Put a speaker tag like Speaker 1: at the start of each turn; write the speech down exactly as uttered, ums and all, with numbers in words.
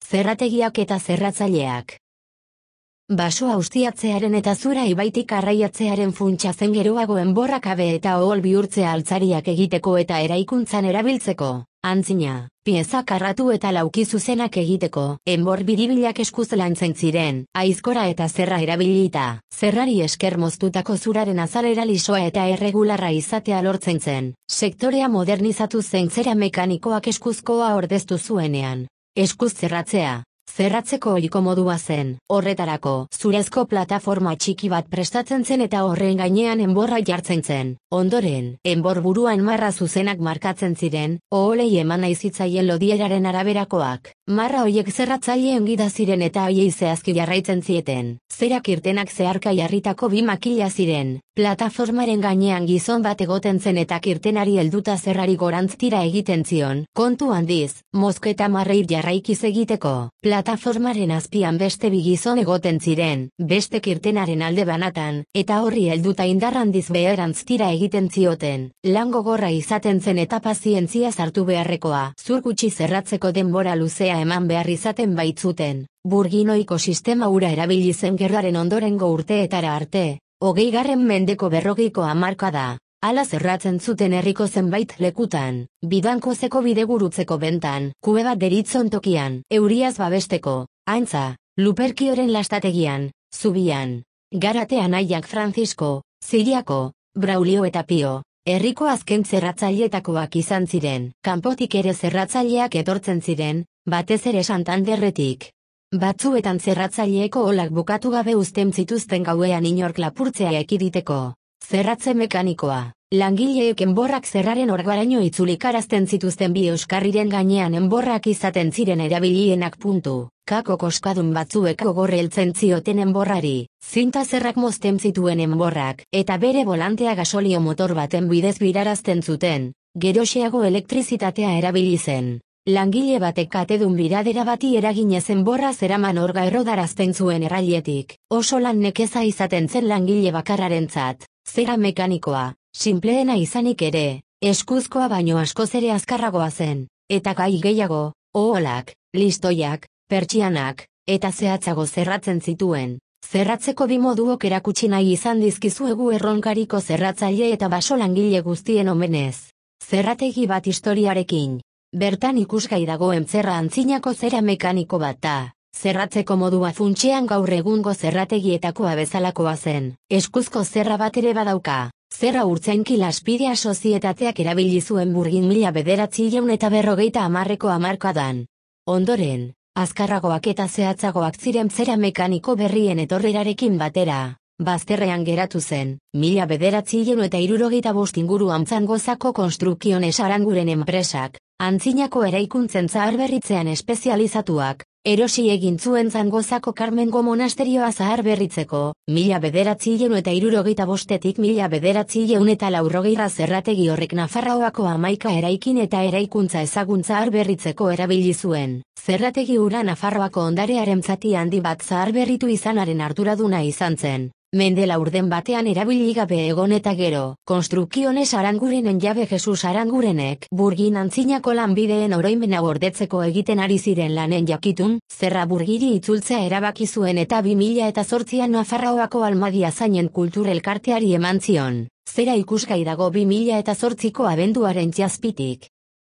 Speaker 1: Zerrategiak eta zerratzaileak. Basoa ustiatzearen eta Zura ibaitik arraiatzearen funtsa zen geroago enborrak abe eta ohol bihurtzea altzariak egiteko eta eraikuntzan erabiltzeko. Antzina, pieza karratu eta lauki zuzenak egiteko, enbor biribilak eskuz lantzen ziren, aizkora eta zerra erabilita. Zerrari esker moztutako zuraren azalera lisoa eta erregularra izatea lortzen zen. Sektorea modernizatu zen zera mekanikoak eskuzkoa ordeztu zuenean. Eskuz zerratzea. Zerratzeko ohiko modua zen. Horretarako, zurezko plataforma txiki bat prestatzen zen eta horren gainean enborra jartzen zen. Ondoren, enbor buruan marra zuzenak markatzen ziren, oholei eman nahi zitzaien lodieraren araberakoak. Marra hoiek zerratzaileen gida ziren eta haiei zehazki jarraitzen zieten. Zerak irtenak zeharka jarritako bi makila ziren. Plataformaren gainean gizon bat egoten zen eta kirtenari helduta zerrari gorantz tira egiten zion. Kontu handiz, mozketa marreir jarraikiz egiteko. Plataformaren azpian beste bi gizon egoten ziren, beste kirtenaren alde banatan, eta horri helduta indar handiz beherantz tira egiten zioten. Lan gogorra izaten zen eta pazientzia sartu beharrekoa. Zur gutxi zerratzeko denbora luzea eman behar izaten baitzuten. Burginoiko sistema hura erabili zen gerraren ondorengo urteetara arte. Hogeigarren mendeko berrogeiko hamarkada. Hala zerratzen zuten herriko zenbait lekutan, bidankozeko bidegurutzeko bentan, kube bat deritzon tokian, euriaz babesteko, Aintza, Luperkioren lastategian, Zubian, Garate anaiak Francisco, Ziriako, Braulio eta Pio, herriko azken zerratzaileetakoak izan ziren. Kanpotik ere zerratzaileak etortzen ziren, batez ere Santanderretik. Batzuetan zerratzaileeko olak bukatu gabe uzten zituzten gauean inork lapurtzea ekiditeko. Zerratze mekanikoa. Langileek enborrak zerraren orgaraino itzulikarazten zituzten bi euskarriren gainean enborrak izaten ziren erabilienak puntu. Kako koskadun batzuek gogorre heltzen zioten enborrari, zinta zerrak mozten zituen enborrak, eta bere volantea gasolio motor baten bidez birarazten zuten, geroxeago elektrizitatea erabili zen. Langile batek katedun biradera bati eraginez enborra zeraman orga errodarazten zuen errailetik, oso lan nekeza izaten zen langile bakarrarentzat. Zera mekanikoa, sinpleena izanik ere, eskuzkoa baino askoz ere azkarragoa zen, eta gai gehiago, oholak, listoiak, pertsianak, eta zehatzago zerratzen zituen. Zerratzeko bi moduok erakutsi nahi izan dizkizuegu erronkariko zerratzaile eta baso langile guztien omenez. Zerrategi bat historiarekin. Bertan ikusgai dagoen zerra antzinako zera mekaniko bat da. Zerratzeko modua funtsean gaur egungo zerrategietakoa bezalakoa zen. Eskuzko zerra bat ere badauka. Zerra urtzainki Laspidea sozietateak erabili zuen Burgin mila bederatziehun eta berrogeita hamarreko hamarkadan. Ondoren, azkarragoak eta zehatzagoak ziren zera mekaniko berrien etorrerarekin batera. Bazterrean geratu zen, mila bederatziehun eta hirurogeita bost inguruan Zangozako Construcciones Aranguren enpresak, antzinako eraikuntzen zaharberritzean espezializatuak, erosi egin zuen Zangozako Karmengo monasterioa zaharberritzeko, mila bederatziehun eta hirurogeita bostetik mila bederatziehun eta laurrogeira zerrategi horrek Nafarroako hamaika eraikin eta eraikuntza ezagun zaharberritzeko erabili zuen. Zerrategi hura Nafarroako ondarearen zati handi bat zaharberritu izanaren arduraduna izan zen. Mende laurden batean erabili gabe egon eta gero, Construcciones Arangurenen jabe Jesus Arangurenek Burgin antzinako lanbideen oroimena gordetzeko egiten ari ziren lanen jakitun, zerra Burgiri itzultzea erabaki zuen eta bi mila eta zortzian Nafarroako Almadia zainen kultur elkarteari eman zion. Zera ikusgai dago bi mila eta zortziko abenduaren zazpitik.